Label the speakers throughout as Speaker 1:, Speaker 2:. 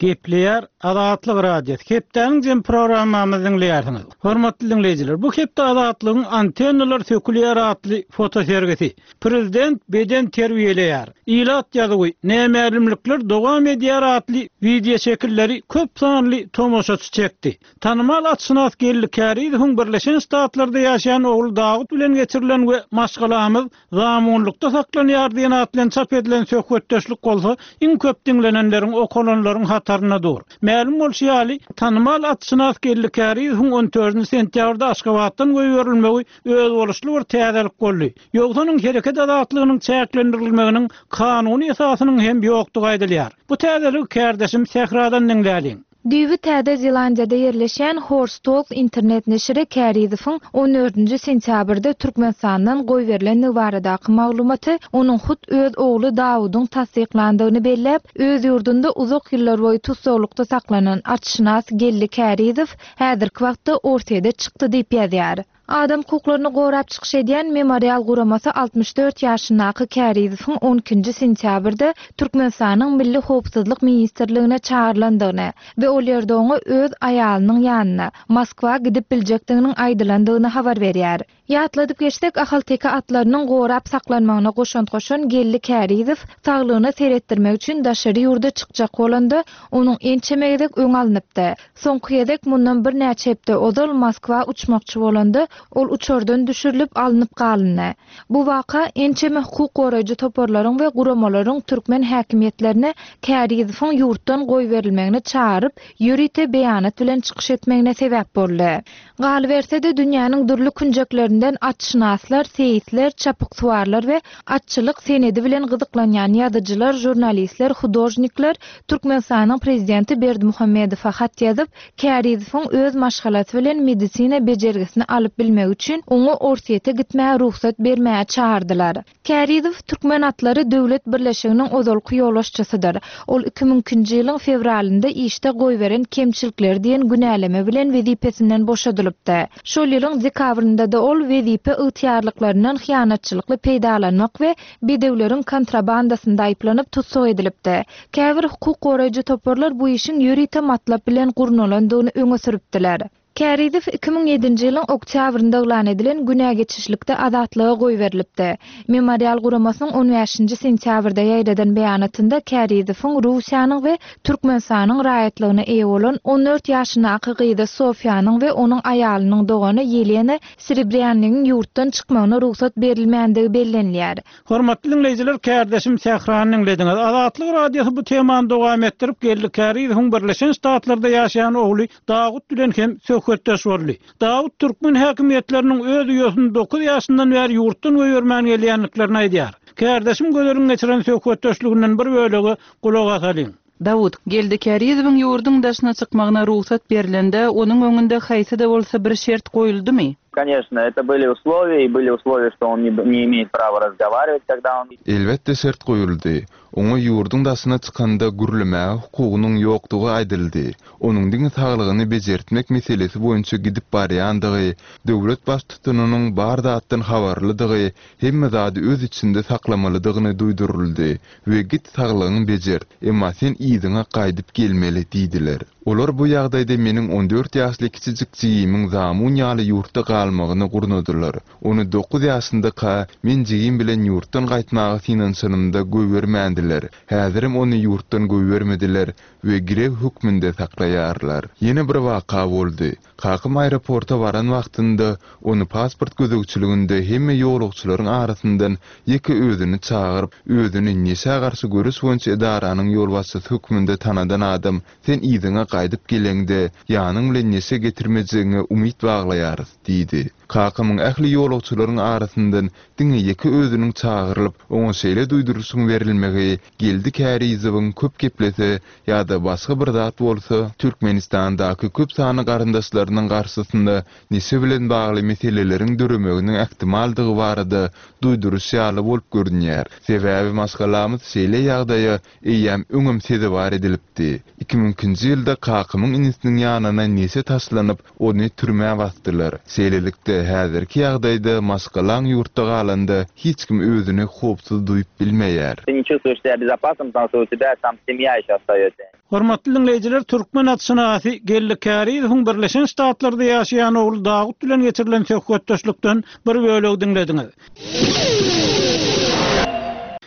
Speaker 1: Gepleýär Azatlyk Radiosy. Hepdäniň jem programmamyzy diňleýärsiňiz. Hormatly diňleýjiler, bu hepde Azatlygyň Antennalar sökülýär atly fotosergisi. Prezident beden terbiýeleýär. Ilat ýazuwy, Nämälimlikler dowam edýär atly wideoşekilleri köp sanly tomaşaçy çekdi. Tanymal atşynas Geldi Kärizowyň Birleşen Ştatlarda ýaşaýan ogly Dawut bilen geçirilen we Maşgalamyz zamunlykda saklanýar diýen at bilen çap edilen söhbetdeşlik bolsa iň köp diňlenenleriň, okalanlaryň hatarynda dur. Mälim bolşy ýaly, tanymal atşynas Geldi Kärizowyň on dördünji sentýabrda Aşgabatdan goýberilmegi özboluşly bir täzelik boldy. Ýogsa onuň hereket azatlygynyň çäklendirilmeginiň kanuny esasynyň hem ýokdugy aýdylýar. Bu täzeligi kärdeşim Sähradan diňläliň.
Speaker 2: Düýbi Täze Zelandiýada ýerleşýän Horse Talk internet neşiri Kärizowyň on dördünji sentýabrda Türkmenistandan goýberilendigi baradaky maglumaty onuň hut öz ogly Dawudyň tassyklandygyny belläp, öz ýurdunda uzak ýyllar boýy tussaglykda saklanan atşynas Geldi Kärizow häzirki wagtda Orsýede çykdy diýip ýazýar. Adam hukuklaryny gorap çykyş edýän Memorial guramasy 64 ýaşyndaky Kärizowyň on ikinji sentýabrda Türkmenistanyň Milli howpsuzlyk ministrligine çagyrylandygyny we ol ýerde oňa öz aýalynyň ýanyna, Moskwa gidip biljekdiginiň aýdylandygyny habar berýär. Ýatladyp geçsek, ahalteke atlarynyň gorap saklanmagyna goşant goşan Geldi Kärizow saglygyna seretdirmek üçin daşary ýurda çykjak bolanda, onuň ençeme gezek öňi alnypdy. Soňky gezek mundan birnäçe hepde ozal Moskwa uçmakçy bolanda, ol uçardan düşürilip alnyp galyndy. Bu waka ençeme hukuk goraýjy toparlaryň we guramalaryň türkmen häkimiýetlerine Kärizowyň ýurtdan goýberilmegini çagyryp, ýörite beýanat bilen çykyş etmegine sebäp boldy. Galyberse-de, dünýäniň dürli künjeklerinden atşynaslar, seýisler, çapyksuwarlar we atçylyk senedi bilen gyzyklanýan ýazyjylar, žurnalistler, hudožnikler Türkmenistanyň Prezidenti Berdimuhamedowa hat ýazyp, Kärizowyň öz maşgalasy bilen medisina bejergisini alyp bilmegi üçin oňa Orsýete gitmäge rugsat bermäge çagyrdylar. Kärizow Türkmen atlary döwlet birleşiginiň ozalky ýolbaşçysydyr. Ol 2002-nji ýylyň fewralynda işde goýberen kemçilikleri diýen günäleme bilen wezipesinden boşadylypdy. Şol ýylyň dekabrynda-da ol wezipe ygtyýarlyklaryndan hyýanatçylykly peýdalanmak we bedewleriň kontrabandasynda aýyplanyp tussag edilipdi. Käbir hukuk goraýjy toparlar bu işiň ýörite matlap bilen gurnalandygyny öňe sürüpdiler. Kärizow 2007-nji ýylyň oktýabrynda yglan edilen günä geçişlikde azatlyga goýberilipdi. Memorial guramasynyň on bäşinji sentýabrda ýaýradan beýanatynda Kärizowyň Russiýanyň we Türkmenistanyň raýatlygyna eýe bolan on dört ýaşyndaky gyzy Sofiýanyň we onuň aýalynyň dogany Ýelena Serebrýannigiň ýurtdan çykmagyna rugsat berilmändigi bellenilýär.
Speaker 1: Hormatly diňleýjiler, kärdeşim Sährany diňlediňiz. Azatlyk Radiosy bu temany dowam etdirip, Geldi Kärizowyň Birleşen Ştatlarda ýaşaýan ogly Dawut bilen hem söhbetdeş boldy. Dawut türkmen häkimiýetleriniň öz uýasyny dokuz ýaşyndan bäri ýurtdan goýbermän gelýändiklerini aýdýar. Kärdeşim Gözeliň geçiren söhbetdeşliginden bir bölege gulak asalyň.
Speaker 3: Dawut, Geldi Kärizowyň ýurduň daşyna çykmagyna rugsat berlende, onuň öňünde haýsy-da bolsa bir şert goýuldymy?
Speaker 4: Koneçno, eto byli uslowiýa i byli uslowiýa, şto on ne imeýet prawa razgowariwat, kogda on.
Speaker 5: Elbetde şert goýuldy. Oňa ýurduň daşyna çykanda gürlemäge hukugynyň ýokdugy aýdyldy. Onuň diňe saglygyny bejertmek meselesi boýunça gidip barýandygy, döwlet baştutanynyň bar zatdan habarlydygy, hemme zady öz içinde saklamalydygyny duýduryldy we git saglygyňy bejert, emma sen yzyňa gaýdyp gelmeli diýdiler. Olar bu ýagdaýda meniň on dört ýaşly kiçijik jigimiň zamun ýaly ýurtda galmagyny gurnadylar. Ony dokuz ýaşyndaka men jigim bilen ýurtdan gaýtmaga synanyşanymda goýbermändiler. Häzirem ony ýurtdan goýbermediler we girew hökmünde saklaýarlar. Ýene bir waka boldy. Kakam aeroporta baran wagtynda, ony pasport gözegçiliginde hemme ýolagçylaryň arasyndan ýeke özüni çagyryp, özüni neşä garşy göreş boýunça edaranyň ýolbaşçysy hökmünde tanadan adam, Sen yzyňa gaýdyp geleňde, ýanyň bilen neşe getirmejegiňe umyt baglaýarys diýdi. Kakamyň ähli ýolagçylaryň arasyndan diňe ýeke özüniň çagyrylyp, oňa şeýle duýduryşyň berilmegi Geldi Kärizowyň köp geplese ýa-da başga bir zat bolsa, Türkmenistandaky köp sanly garyndaşlarynyň garşysynda neşe bilen bagly meseleleriň döremeginiň ähtimaldygy barada duýduryş ýaly bolup görünýär. Sebäbi maşgalamyz şeýle ýagdaýa eýýäm öňem sezewar edilipdi. 2002-nji ýylda kakamyň inisiniň ýanyna neşe taşlanyp, ony türmä basdylar. Şeýle. Şeýlelikde, häzirki ýagdaýda maşgalaň ýurtda galanda hiç kim özüni howpsuz duýup bilmeýär.
Speaker 4: Ty ne çувствуешь себя безопасным, потому что у тебя там семья еще остается.
Speaker 1: Hormatly diňleýjiler, türkmen atşynasy Geldi Kärizowyň Birleşen Ştatlarda ýaşaýan ogly Dawut bilen geçirilen söhbetdeşlikden bir bölegi diňlediňiz.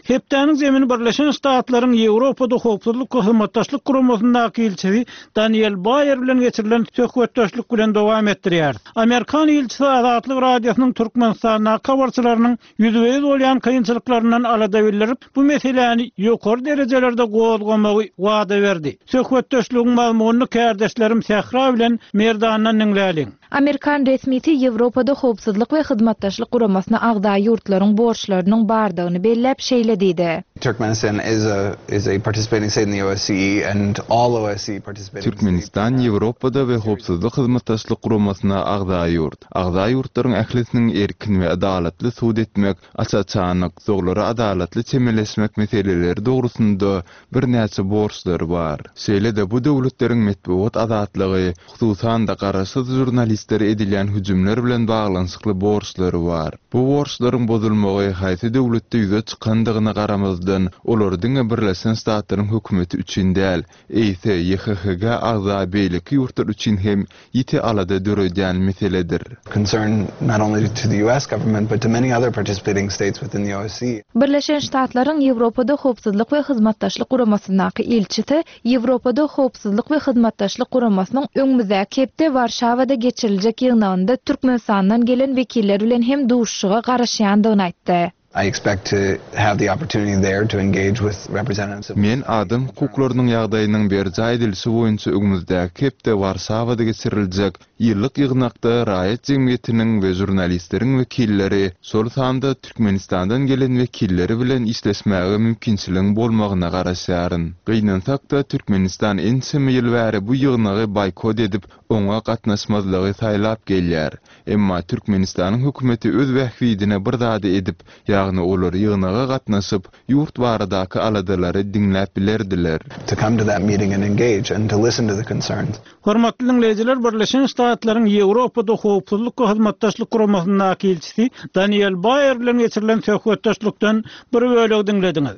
Speaker 1: Hepdäniň zemini Birleşen Ştatlaryň Ýewropada Howpsuzlyk we Hyzmatdaşlyk Guramasyndaky ilçisi Daniel Baýer bilen geçirilen söhbetdeşlik bilen dowam etdirýäris. Amerikan ilçisi Azatlyk Radiosynyň Türkmenistandaky habarçylarynyň ýüzbe-ýüz bolýan kynçylyklaryndan alada bildirip, bu meseläni ýokary derejelerde gozgamagy wada berdi. Söhbetdeşligiň mazmunyny kärdeşlerim Sähra bilen Merdandan diňläliň.
Speaker 2: Amerikan resmisi Ýewropada Howpsuzlyk we Hyzmatdaşlyk Guramasyna agza ýurtlaryň borçlarynyň bardygyny belläp, şeýle diýdi.
Speaker 6: Turkmenistan is a is a participating state in the OSCE and all OSCE participating states.
Speaker 5: Türkmenistan Ýewropada we Howpsuzlyk Hyzmatdaşlyk Guramasyna agza ýurt. Agza ýurtlaryň ählisiniň erkin we adalatly sud etmek, aç-açanlyk, doglara adalatly çemeleşmek meseleleri dogrusynda birnäçe borçlary bar. Şeýle-de bu döwletleriň metbugat azatlygy, hususan-da garaşsyz žurnalistlere edilýän hüjümler bilen baglanyşykly borçlary bar. Bu borçlaryň bozulmagy haýsy döwletde ýüze çykandygyna garamazdan, olar diňe Birleşen Ştatlaryň hökümeti üçin däl, eýse YHHG agza beýleki ýurtlar üçin hem ýiti alada döredýän meseledir.
Speaker 6: Concern not only to the US government but to many other participating states within the OSCE.
Speaker 2: Birleşen Ştatlaryň Ýewropada Howpsuzlyk we Hyzmatdaşlyk Guramasyndaky ilçisi Ýewropada Howpsuzlyk we Hyzmatdaşlyk Guramasynyň öňümizdäki hepde Warşawada geçiriljek ýygnagynda Türkmenistandan gelen wekiller bilen hem duşuşyga garaşýandygyny aýtdy.
Speaker 6: I expect to have the opportunity there to engage with representatives of.
Speaker 5: Men adam hukuklarynyň ýagdaýynyň berjaý edilişi boýunça öňümizdäki hepde Warşawada geçiriljek ýyllyk ýygnakda raýat jemgyýetiniň we žurnalistleriň wekilleri, şol sanda Türkmenistandan gelen wekilleri bilen işleşmäge mümkinçiligiň bolmagyna garaşýaryn. Gynansak-da, Türkmenistan ençeme ýyl bäri bu ýygnagy boýkot edip, oňa gatnaşmazlygy saýlap gelýär. Emma Türkmenistanyň hökümeti öz bähbidine bir zady edip, ýagny olar ýygnaga gatnaşyp, ýurt baradaky aladalary diňläp bilerdiler.
Speaker 6: To come to that meeting and engage and to listen to the concerns.
Speaker 1: Hormatly diňleýjiler, Birleşen Ştatlaryň Ýewropada Howpsuzlyk we Hyzmatdaşlyk Guramasyndaky ilçisi Daniel Baýer bilen geçirilen söhbetdeşlikden bir bölegi diňlediňiz.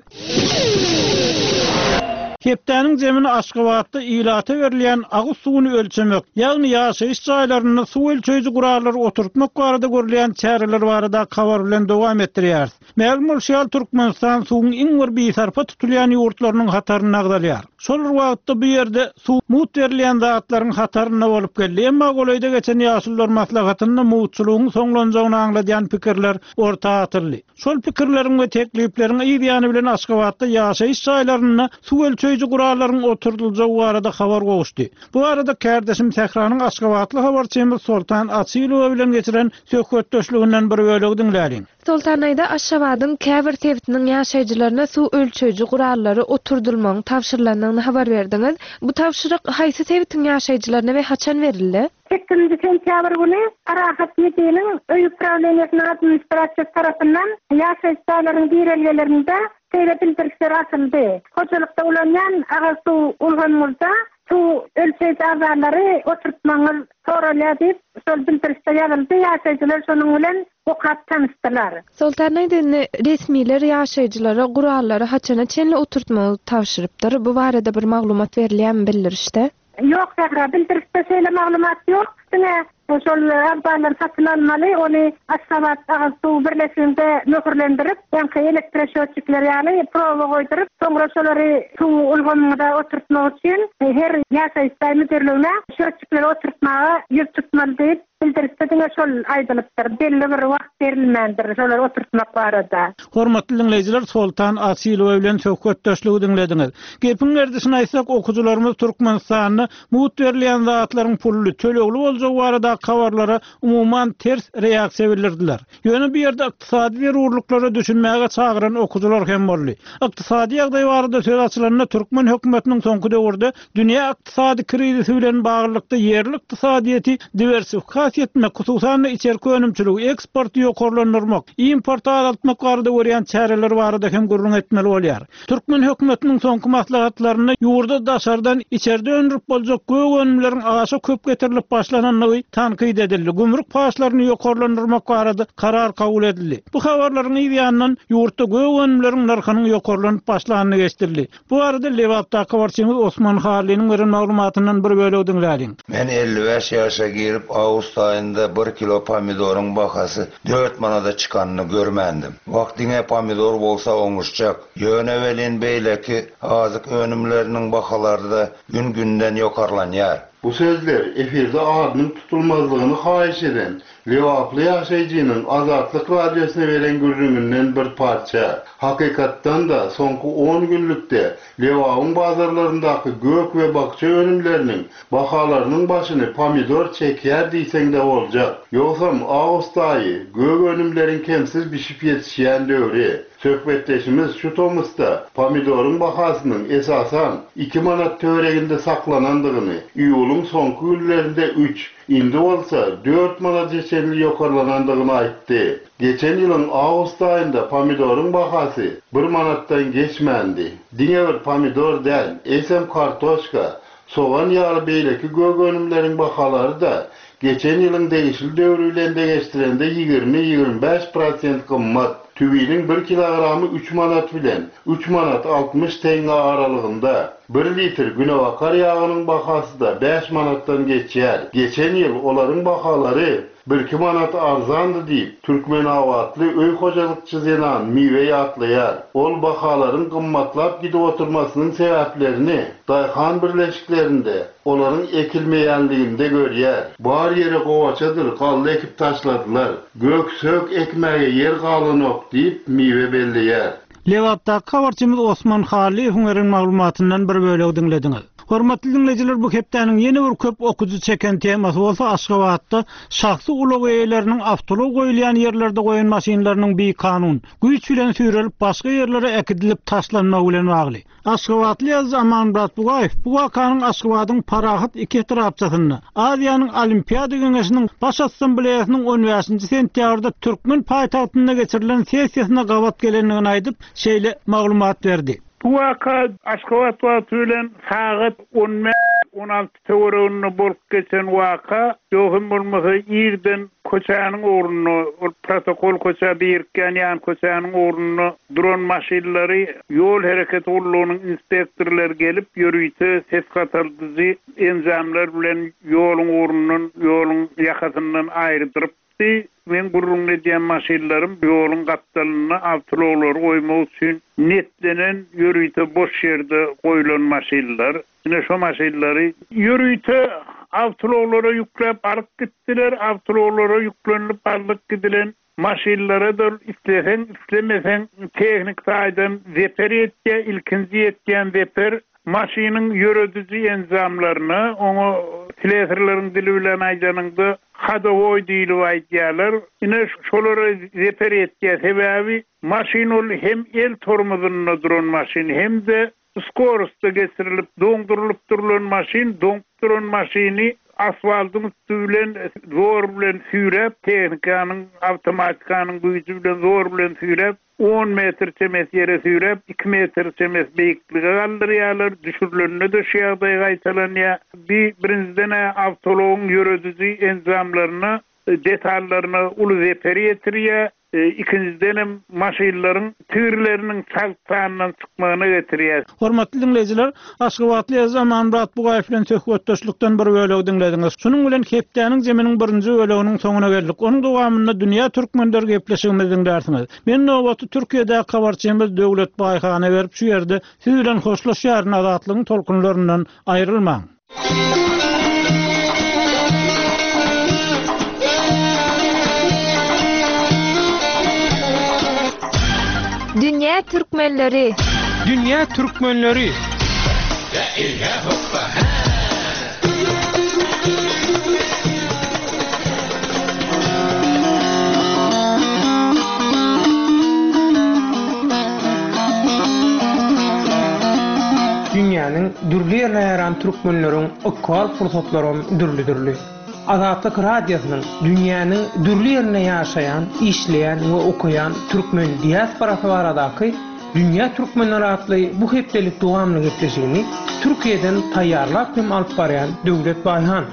Speaker 1: Hepdäniň jemini Aşgabatda ilata berilýän agyz suwuny ölçemek, ýagny ýaşaýyş jaýlarynda suw ölçeýji gurallary oturtmak barada görülýän çäreler baradaky habar bilen dowam etdirýäris. Mälim bolşy ýaly, Türkmenistan suwuň iň bir bisarpa tutulýan ýurtlarynyň hatarynda agzalýar. Şol bir wagtda bu ýerde suw mugt berilýän zatlaryň hatarynda bolup geldi. Emma golaýda geçen Ýaşulular maslahatynda mugtçulygyň soňlanjagyny aňladýan pikirler orta atyldy. Şol pikirleriň we teklipleriň yz ýany bilen Aşgabatda ýaşaýyş jaýlarynda suw ölçeýji gurallaryň oturdyljagy barada habar gowuşdy. Bu barada kärdeşim Sähranyň aşgabatly habarçymyz Soltan Açylowa bilen geçiren söhbetdeşliginden bir bölegi diňläliň.
Speaker 2: Soltan aýda Aşgabadyň käbir sebitiniň ýaşaýjylaryna suw ölçeýji gurallary oturdylmagyň tabşyrylandygyny habar berdiňiz. Bu tabşyryk haýsy sebitiň ýaşaýjylaryna we haçan berildi?
Speaker 7: Sekizinji sentýabr güni Parahat ÝB-niň Öý uprawleniýesiniň administrasiýasy tarapyndan ýaşaýyş jaýlaryň girelgelerinde şeýle bildirişler asyldy, Hojalykda ulanýan agyz suw ulgamyňyzda suw ölçeýji abzallary oturtmagyňyz soralýar diýip, şol bildirişde ýazyldy. Ýaşaýjylar şonuň bilen okap tanyşdylar.
Speaker 2: Soltan aýda indi resmiler ýaşaýjylara gurallary haçana çenli oturtmagy tabşyrypdyr? Bu barada bir maglumat berilýärmi bildirişde?
Speaker 7: Ýok Sähra, bildirişde şeýle maglumat ýok. Diňe şol abzallary satyn almaly, ony Aşgabat agyz suw birleşiginde möhürlendirip, ýaňky elektroşötçikler ýaly proba goýduryp, soňra şolary suw ulgamyňyza oturtmak üçin her ýaşaýyş jaý müdirligine şötçikleri oturtmaga ýüz tutmaly diýip, Bildirişde diňe şol aýdylypdyr, belli bir wagt berilmändir şolary oturtmak barada.
Speaker 1: Hormatly diňleýjiler Soltan Asylowa bilen söhbetdeşligi diňlediňiz. Gepiň gerdişini aýtsak okyjylarymyz Türkmenistanda mugt berilýän zatlaryň pully, tölegli boljagy baradaky habarlara umuman ters reaksiýa bildirdiler. Ýöne bu ýerde ykdysady zerurlyklara düşünmäge çagyran okyjylar hem boldy. Ykdysady ýagdaý barada söz açylanda türkmen hökümetiniň soňky döwürde dünýä ykdysady krizisi bilen baglylykda ýerli ykdysadyýeti diwersifikasiýa etmek, hususan-da içerki önümçiligi, eksporty ýokarlandyrmak, importy azaltmak barada görýän çäreleri barada hem gürrüň etmeli bolýar. Türkmen hökümetiniň soňky maslahatlarynda ýurda daşardan içerde öndürip boljak gök önümleriň aşa köp getirilip başlanandygy. başlanandygy tankyt edildi, gümrük paçlaryny ýokarlandyrmak barada karar kabul edildi. Bu habarlaryň yz ýanyndan ýurtda gök önümleriň nyrhynyň ýokarlanyp başlandygy eşidildi. Bu barada Lebapdaky habarçymyz Osman Hallynyň beren maglumatyndan bir bölegi diňläliň.
Speaker 8: Men 55 ýaşa girip, awgust aýynda bir kilo pomidoryň bahasy dört manada çykanyny görmändim. Wah, diňe pomidor bolsa oňuşjak. Ýöne welin beýleki azyk önümleriniň bahalary-da gün-günden ýokarlanýar.
Speaker 9: Bu sözler efirde adynyň tutulmazlygyny haýyş eden Lebaply ýaşaýjynyň Azatlyk Radiosyna beren gürrüňinden bir parça. Hakykatdan-da, soňky on günlükde Lebabyň bazarlaryndaky gök we bakja önümleriniň bahalarynyň başyny pomidor çekýär diýseň-de boljak. Ýogsam, awgust aýy gök önümleriň kemsiz bişip ýetişýän döwri. Söhbetdeşimiz şu tomusda pomidoryň bahasynyň, esasan, iki manat töwereginde saklanandygyny, iýulyň soňky günlerinde üç, Indi bolsa dört manada çenli ýokarlanandygyny aýtdy. Geçen ýylyň awgust aýynda pomidoryň bahasy bir manatdan geçmändi. Diňe bir pomidor däl, eýsem kartoşka, sogan ýaly beýleki gök önümleriň bahalary-da geçen ýylyň degişli döwri bilen deňeşdirende 20, 25 prosent gymmat. Tüwiniň bir kilogramy üç manat bilen üç manat 60 teňňe aralygynda. Bir litr günebakar ýagynyň bahasy-da bäş manatdan geçýär. Geçen ýyl olaryň bahalary birki manat arzandy diýip, türkmenabatly öý hojalykçy zenan Miwe ýatlaýar. Ol bahalaryň gymmatlap gidip oturmasynyň sebäplerini daýhan birleşiklerinde olaryň ekilmeýänliginde görýär. Bar ýere gowaçadyr galla ekip taşladylar. Gök-sök ekmäge ýer galanok diýip, Miwe belleýär.
Speaker 1: Lebapdaky habarçymyz Osman Hallyýewiň beren maglumatyndan bir bölegi diňlediňiz. Hormatly diňleýjiler, bu hepdäniň ýene bir köp okyjy çeken temasy bolsa Aşgabatda şahsy ulag eýeleriniň awtoulag goýulýan ýerlerde goýan maşynlarynyň bikanun, güýç bilen süýrelip başga ýerlere äkidilip taşlanmagy bilen bagly. Aşgabatly ýazyjy Amanmyrat Bugaýew bu wakanyň Aşgabadyň Parahat iki etrapçasynda, Aziýanyň Olimpiada geňeşiniň Baş Assambleýasynyň on bäşinji sentýabrda türkmen paýtagtynda geçirilen sessiýasyna gabat gelendigini aýdyp, şeýle maglumat berdi.
Speaker 10: Bu waka Aşgabat wagty bilen sagat on bäş, on alty Töwereginde bolup geçen waka, ýok hem bolmasa irden köçäniň ugrunda, ol protokol köçä birikýän ýan köçäniň ugrunda duran maşynlary ýol hereketi gullugynyň inspektorlary gelip, ýörite ses gataldyjy enjamlar bilen ýoluň ugrundan, ýoluň ýakasyndan aýrydyryp, Bi meň gürrüňini edýän maşynlarym ýoluň gapdalynda awtoulaglary goýmak üçin netlenen ýörite boş ýerde goýlan maşynlar. Ine şo maşynlary ýörite awtoulaglara ýükläp alyp gitdiler. Awtoulaglara ýüklenilip alnyp gidilen maşynlara-da isleseň, islemeseň tehniki taýdan zeper ýetýär. Ilkinji ýetýän zeper Maşynyň ýörediji enjamlaryna, oňa slesarlaryň dili bilen aýdanyňda, hodowoý diýlip aýdýarlar. Ine, şolara zeper ýetýär. Sebäbi maşyn ol hem el tormozynda duran maşyn, hem-de skorostda geçirilip, doňdurylyp durlan maşyn, doňup duran maşyny asfaltyň üsti bilen zor bilen süýräp, tehnikanyň, awtomatikanyň güýji bilen zor bilen süýräp, On metr çemesi ýere süýräp, iki metr çemesi beýiklige galdyrýarlar. Düşürilende-de şu ýagdaý gaýtalanýar. Bi, birinjiden-ä, awtoulagyň ýörediji enjamlaryna, detallaryna uly zeper ýetirýär. Ikinjidenem, maşynlaryň tigirleriniň çalt sandan çykmagyna getirýär.
Speaker 1: Hormatly diňleýjiler, Aşgabatly ýazyjy Amanmyrat Bugaýew bilen söhbetdeşlikden bir bölegi diňlediňiz. Şunuň bilen hepdäniň jeminiň birinji böleginiň soňuna geldik. Onuň dowamynda Dünýä türkmenleri gepleşigimizi diňlärsiňiz. Men nobaty Türkiýedäki habarçymyz Döwlet Baýhana berip şu ýerde siz bilen hoşlaşýaryn Azatlygyň tolkunlaryndan aýrylmaň.
Speaker 2: Dünýä türkmenleri!
Speaker 1: Dünýä türkmenleri!
Speaker 11: Dünýäniň dürli ýerine ýaýran türkmenleriň ykbal pursatlaram dürli-dürli. Azatlyk Radiosynyň dünýäniň dürli ýerinde ýaşaýan, işleýän we okaýan türkmen diasporasy baradaky Dünýä türkmenleri atly bu hepdelik dowamly gepleşigini Türkiýeden taýýarlap hem alyp barýan Döwlet Baýhan.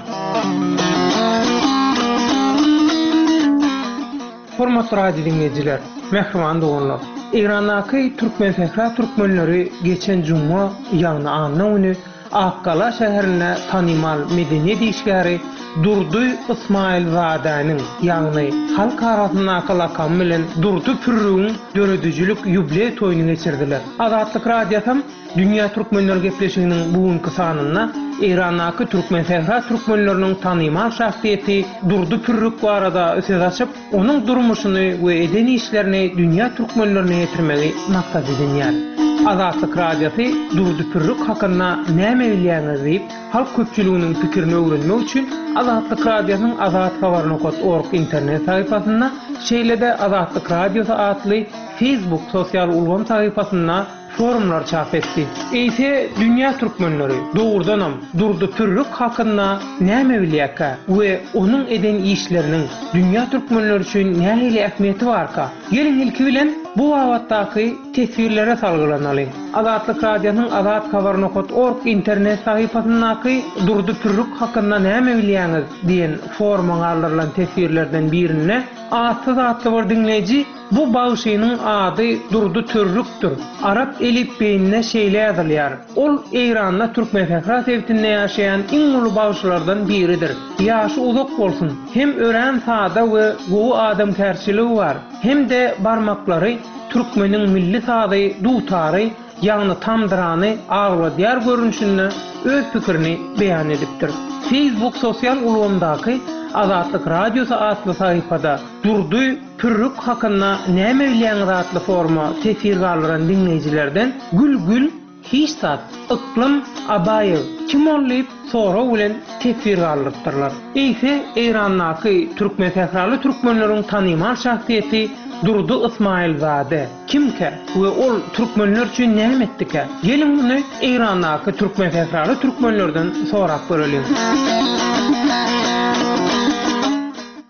Speaker 11: Hormatly radio diňleýjiler, mähriban doganlar! Eýrandaky Türkmensähra türkmenleri geçen juma, ýagny anna güni Akgala şäherinde tanymal medeniýet işgäri Durdy Ysmaýylzadäniň, ýagny halk arasyndaky lakamy bilen Durdy Pürrügiň döredijilik ýubleý toýuny geçirdiler. Azatlyk Radiosam Dünýä Türkmenleri gepleşiginiň bu günki sanynda Eýrandaky Türkmensähra türkmenleriniň tanymal şahsyýeti Durdy Pürrük barada söz açyp, onuň durmuşyny we eden işlerini dünýä türkmenlerine ýetirmegi maksat edinýär. Azatlyk Radiosy Durdy Pürrük hakynda näme bilýäňiz diýip, halk köpçüliginiň pikirini öwrenmek üçin Azatlyk Radiosynyň azathabar nokat org internet sahypasynda, şeýle-de Azatlyk Radiosy atly Facebook sosial ulgam sahypasynda forumlar çap etdi. Eýse, dünýä türkmenleri, dogrudanam, Durdy Pürrük hakynda näme bilýärkä we onuň eden işleriniň dünýä türkmenleri üçin nähili ähmiýeti barka? Geliň, ilki bilen, bu babatdaky teswirlere salgylanalyň. Azatlyk Radiosynyň Azathabar nokat org internet sahypasyndaky Durdy Pürrük hakynda näme bilýäňiz? diýen foruma galdyrylan teswirlerden birinde Atsyz atly bir diňleýji Bu bagşynyň ady Durdy Törrükdir. Arap elipbiýinde şeýle ýazylýar. Ol Eýranda Türkmensähra sebitinde ýaşaýan iň uly bagşylardan biridir. Ýaşy uzak bolsun. Hem örän sada we gowy adamkärçiligi bar. Hem-de barmaklary türkmeniň milli sazy dutary ýagny tamdyrany agladýar görnüşinde öz pikirini beýan edipdir. Facebook sosial ulgamdaky Azatlyk Radiosy atly sahypada Durdy Pürrük hakynda näme bilýäňiz atly foruma teswir galdyran diňleýjilerden Gül Gül hiç zat, Yklym Abaýew kim ol diýip sorag bilen teswir galdyrypdyrlar. Eýse Eýrandaky türkmensähraly türkmenleriň tanymal şahsyýeti Durdy Ysmaýylzade kimkä we ol türkmenler üçin näme etdikä? Geliň muny Eýrandaky türkmensähraly türkmenlerden sorap göreliň.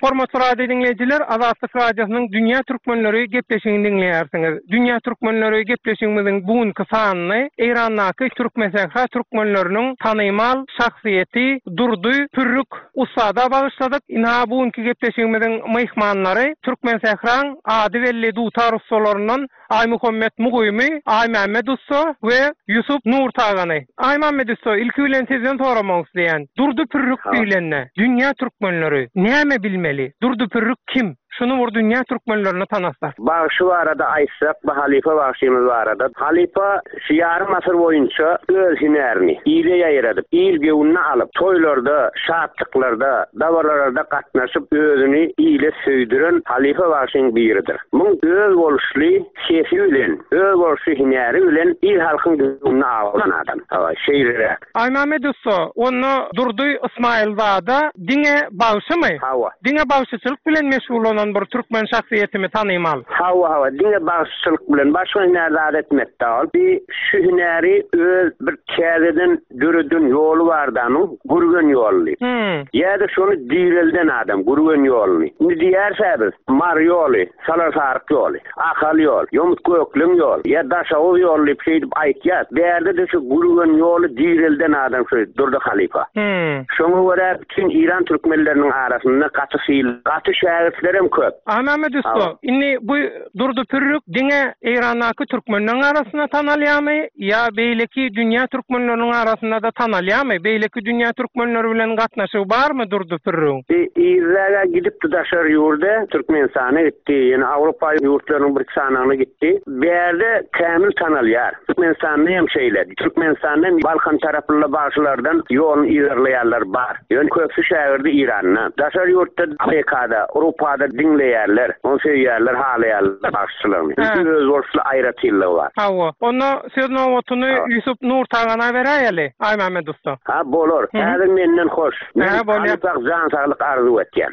Speaker 11: Hormatly radio diňleýjiler, Azatlyk Radiosynyň Dünýä Türkmenleri gepleşigini diňleýärsiňiz. Dünýä Türkmenleri gepleşigimiziň bu günki sanyny Eýrandaky Türkmensähra türkmenleriniň tanymal şahsyýeti Durdy Pürrük ussada bagyşladyk. Ynha bu günki gepleşigimiziň myhmanlary Türkmensähraň ady belli dutar ussalaryndan Aýmuhammet Mugymy, Aýmämmet ussa we Ýusup Nurtagany. Aýmämmet ussa, ilki bilen sizden soramak isleýän. Durdy Pürrük diýlende, dünýä türkmenleri näme bilmeli? Durdy Pürrük kim? Şuny bir dünýä türkmenlerine tanatsak.
Speaker 12: Bagşy barada aýtsak, bu halypa bagşymyz barada. Halypa şu ýarym asyr boýunça öz hünärini ile ýaýradyp, il göwnüne alyp, toýlarda, şatlyklarda, dabaralarda gatnaşyp özüni ile söýdüren halypa bagşyň biridir. Muň özboluşly sesi bilen, özboluşly hünäri bilen il-halkyň göwnüni awlan adam. Hawa, şeýleräk.
Speaker 11: Aýmämmet ussa, onda Durdy Ysmaýylzada diňe bagşymy?
Speaker 12: Hawa.
Speaker 11: Diňe bagşyçylyk bilen meşgullanan bir türkmen şahsyýetimi tanymal?
Speaker 12: Hawa, hawa, diňe bagşyçylyk bilen, başga hünär zat etmedi ol. Bi şu hünäri öz bir täzeden döreden ýoly bardy anyň, Gürgen ýoly diýip. Ýa-da şony direlden adam, Gürgen ýoluny. Indi diýýäris-ä biz, Mary ýoly, Salar-Saryk ýoly, Ahal ýol, Ýomut-Gökleň ýoly, ýa Daşoguz ýoly diýip şeýdip aýtýas. Bärde-de şu Gürgen ýoly direlden adam şu Durdy halypa. Şoňa görä bütin Eýran türkmenleriniň arasynda gaty syl, gaty şägirtlerem köp.
Speaker 11: Anamedi ussa, indi bu Durdy Pürrük diňe Eýrandaky türkmenleriň arasynda tanalýarmy ýa beýleki dünýä türkmenleriniň arasynda-da tanalýarmy? Beýleki dünýä türkmenleri bilen gatnaşygy barmy Durdy Pürrügiň?
Speaker 12: Yzraga gidipdi daşary ýurda, Türkmenistana gitdi, ýene Awrupa ýurtlarynyň bir sanagyna gitdi. Bärde kämil tanalýar. Türkmenistanda hem şeýle. Türkmenistanda hem Balkan tarapynda bagşylardan ýoluny yzarlaýanlar bar. Ýöne köpüsi şägirdi Iranda. Daşary ýurtda Amerikada, Urupada diňleýärler. Ony söýýärler, halaýarlar bagşyçylygyny. Çünki özboluşly aýratynlygy bar.
Speaker 11: Hawa. Onda söz nobatyny Ýusup Nurtagana beräýeli, Aýmämmet ussa.
Speaker 12: Ha, bolar. Häzir menden hoş. Men halypa jan saglyk arzuw etýän.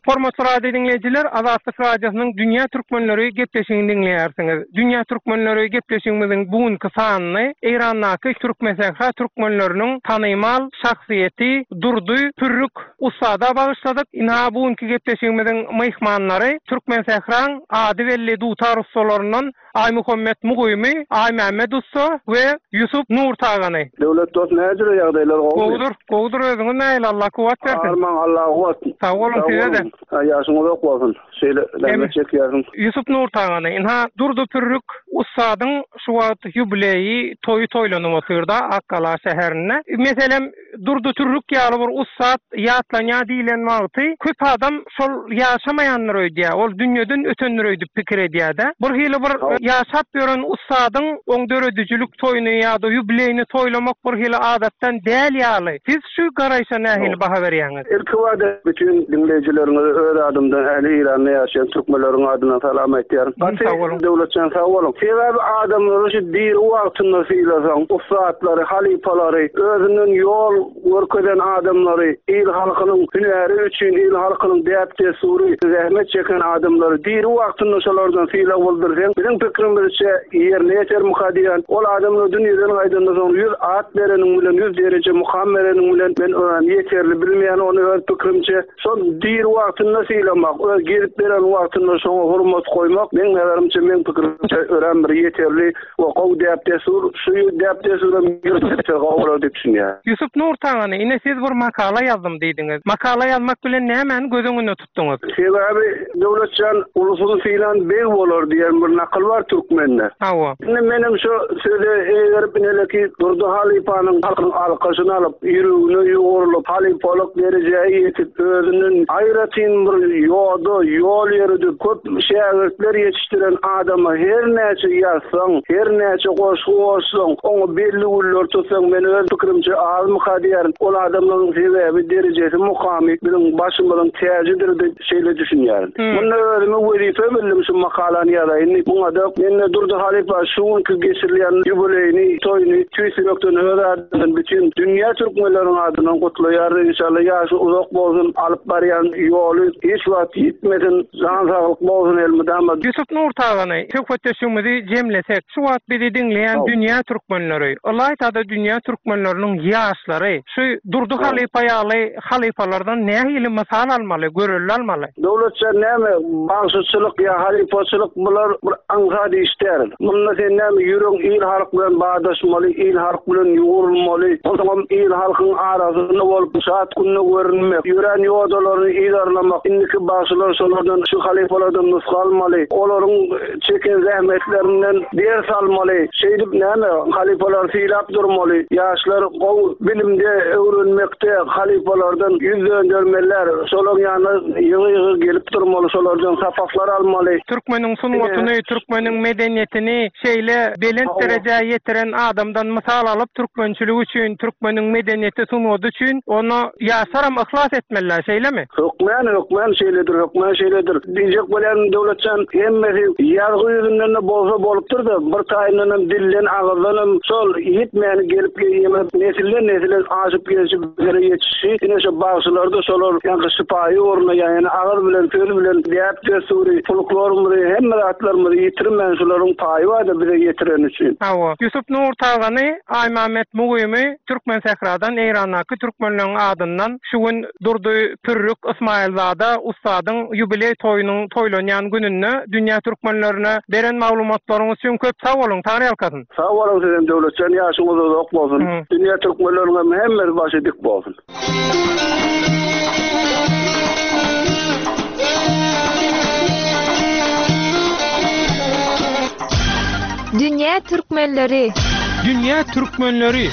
Speaker 11: Hormatly radio diňleýjiler, Azatlyk Radiosynyň Dünýä Türkmenleri gepleşigini diňleýärsiňiz. Dünýä Türkmenleri gepleşigimiziň bu günki sanyny Eýrandaky Türkmensähra türkmenleriniň tanymal şahsyýeti Durdy Pürrük ussada bagyşladyk. Ynha bu günki gepleşigimiziň myhmanlary Türkmensähraň ady belli dutar ussalaryndan. Aýmuhammet Mugymy, Aýmämmet ussa we Ýusup Nurtagany.
Speaker 13: Döwlet dost näjüre ýagdaýlar gowumy?
Speaker 11: Gowudyr, gowudyr özüňiz nähili Allah kuwwat bersin.
Speaker 13: Armaň Allaha kuwwat.
Speaker 11: Sag boluň size-de.
Speaker 13: Ýaşyň uzak bolsun. Şeýle zähmet çekýärsiň.
Speaker 11: Ýusup Nurtagany, ynha Durdy Pürrük ussadyň şu wagt ýubileýi, toýy toýlanyp otyrda Akgala şäherinde. Meselem, Durdy Türrük ýaly bir ussat ýatlanýar diýlen wagty köp adam şol ýaşamaýandyr öýdýär, ol dünýeden ötendir öýdüp pikir edýär-de. Bir hili bir ýaşap ýören ussadyň oň döredijilik toýuny ýa-da ýubileýini toýlamak bir hili adatdan däl ýaly. Siz şu garaýşa nähili baha berýäňiz?
Speaker 13: Ilkibada bütin diňleýjileriňize öz adymdan ähli Eýranda ýaşaýan türkmenleriň adyndan salam aýtýaryn. Gaty Döwletjan sag boluň. Sebäbi adamlary şu diri wagtynda sylasaň, ussatlary, halypalary, özünden ýol görkezen adamlary, il halkynyň hünäri üçin, il halkynyň däp-dessury, zähmet çeken adamlary diri wagtynda şolardan sylag bildirseň, biziň pikrimizçe ýerine ýetermika diýýän. Ol adamlar dünýeden gaýdandan soň 100 at bereniň bilen, 100 dereje mukam bereniň bilen men örän ýeterli bilmeýän ony öz pikrimçe. Şol diri wagtynda sylamak, öz gezip beren wagtynda şoňa hormat goýmak, meň nazarymça, meň pikirimçe örän bir ýeterli we gowy däp-dessur. Şu däp-dessuram ýöredilse gowy bolar diýip düşünýän.
Speaker 11: Ýusup Nurtagany, ine siz bir makala ýazdym diýdiňiz. Makala ýazmak bilen nämäni göz öňünde tutduňyz?
Speaker 13: Sebäbi Döwletjan ulusyny sylan beg bolar diýen bir nakyl bar türkmende.
Speaker 11: Hawa.
Speaker 13: Indi menem şo söze eýgerip ineleki Durdy halypanyň halkyň alkyşyny alyp, ýüregine ýugrulyp, halypalyk derejä ýetip, özünden aýratyn bir ýoda, ýol ýöredip, köp şägirtler ýetişdiren adama her näçe ýazsaň, her näçe goşgy goşsaň, oňa belli güller tutsaň, men öz pikirimçe azmyka diýýärin. Ol adamlaryň sebäbi derejesi, mukamy biziň başymyzyň täjidir diýip şeýle düşünýärin. Munda özüme wezipe bildim şu makalany ýazaýyn diýip. Muňa-da mende Durdy halypa şu günki geçirilýän ýubileýini, toýuny tüýs ýürekden öz adymdan bütin dünýä türkmenleriniň adyndan gutlaýaryn. Inşallah ýaşy uzak bolsun, alyp barýan ýoly hiç wagt ýitmesin, jan saglyk bolsun elmydama.
Speaker 11: Ýusup Nurtagany, söhbetdeşligimizi jemlesek, şu wagt bizi diňleýän dünýä türkmenleri, ylaýta-da dünýä türkmenleriniň ýaşlary şu Durdy halypa ýaly halypalardan nähili mysal almaly, görelde almaly?
Speaker 13: Döwletjan näme bagşyçylyk ýa halypaçylyk bular bir aňsat iş däl. Munda sen näme ýüregiň il halk bilen badaşmaly, il halk bilen ýugurulmaly, onsoňam il halkyň arasynda bolup şat günde görünmek, ýörän ýodalaryny yzarlamak, indiki bagşylar şolardan şu halypalardan nusga almaly, olaryň çeken zähmetlerinden ders almaly, şeýdip näme halypalary sylap durmaly, ýaşlar gowy bilimde öwrenmekde halypalardan ýüz döndermeliler, şolaryň ýanyna ýygy-ýygy gelip durmaly, şolardan sapaklar almaly.
Speaker 11: Türkmeniň sungatyny, türkmeniň medeniýetini şeýle belent derejä ýetiren adamdan mysal alyp, türkmençilik üçin, türkmeniň medeniýeti, sungaty üçin onda ýaşlaram yhlas etmeliler, şeýlemi?
Speaker 13: Hökmän, hökmän şeýledir, hökmän şeýledir. Diýjek bolýanym Döwletjan, hemmesi ýazgy ýüzünden-de bolsa bolupdyr-da, bir taýyndanam dilden, agyzdanam şol ýitmäni gelip ýeme nesilden-nesile aşyp gelşi bizlere ýetişi, ine şo bagşylarda şolar ýaňky şypaýy ugruna ýa ýene agyz bilen, söz bilen däp-dessury, folklorymyzy, hemme zatlarymyzy ýitirmän şularyň paýy bar-da bize ýetireni üçin.
Speaker 11: Hawa. Ýusup Nurtagany, Aýmämmet Mugymy Türkmensähradan Eýrandaky türkmenleriň adyndan şu gün Durdy Pürrük Ysmaýylzada ussadyň ýubileý toýunyň toýlanýan gününde dünýä türkmenlerine beren maglumatlaryňyz üçin köp sag boluň, Taňryýalkasyn!
Speaker 13: Sag boluň sizem Döwletjan ýaşyňyz uzak bolsun dünýä türkmenleriniňem hemmesi başy dik bolsun.
Speaker 2: Dünýä türkmenleri.
Speaker 11: Dünýä türkmenleri.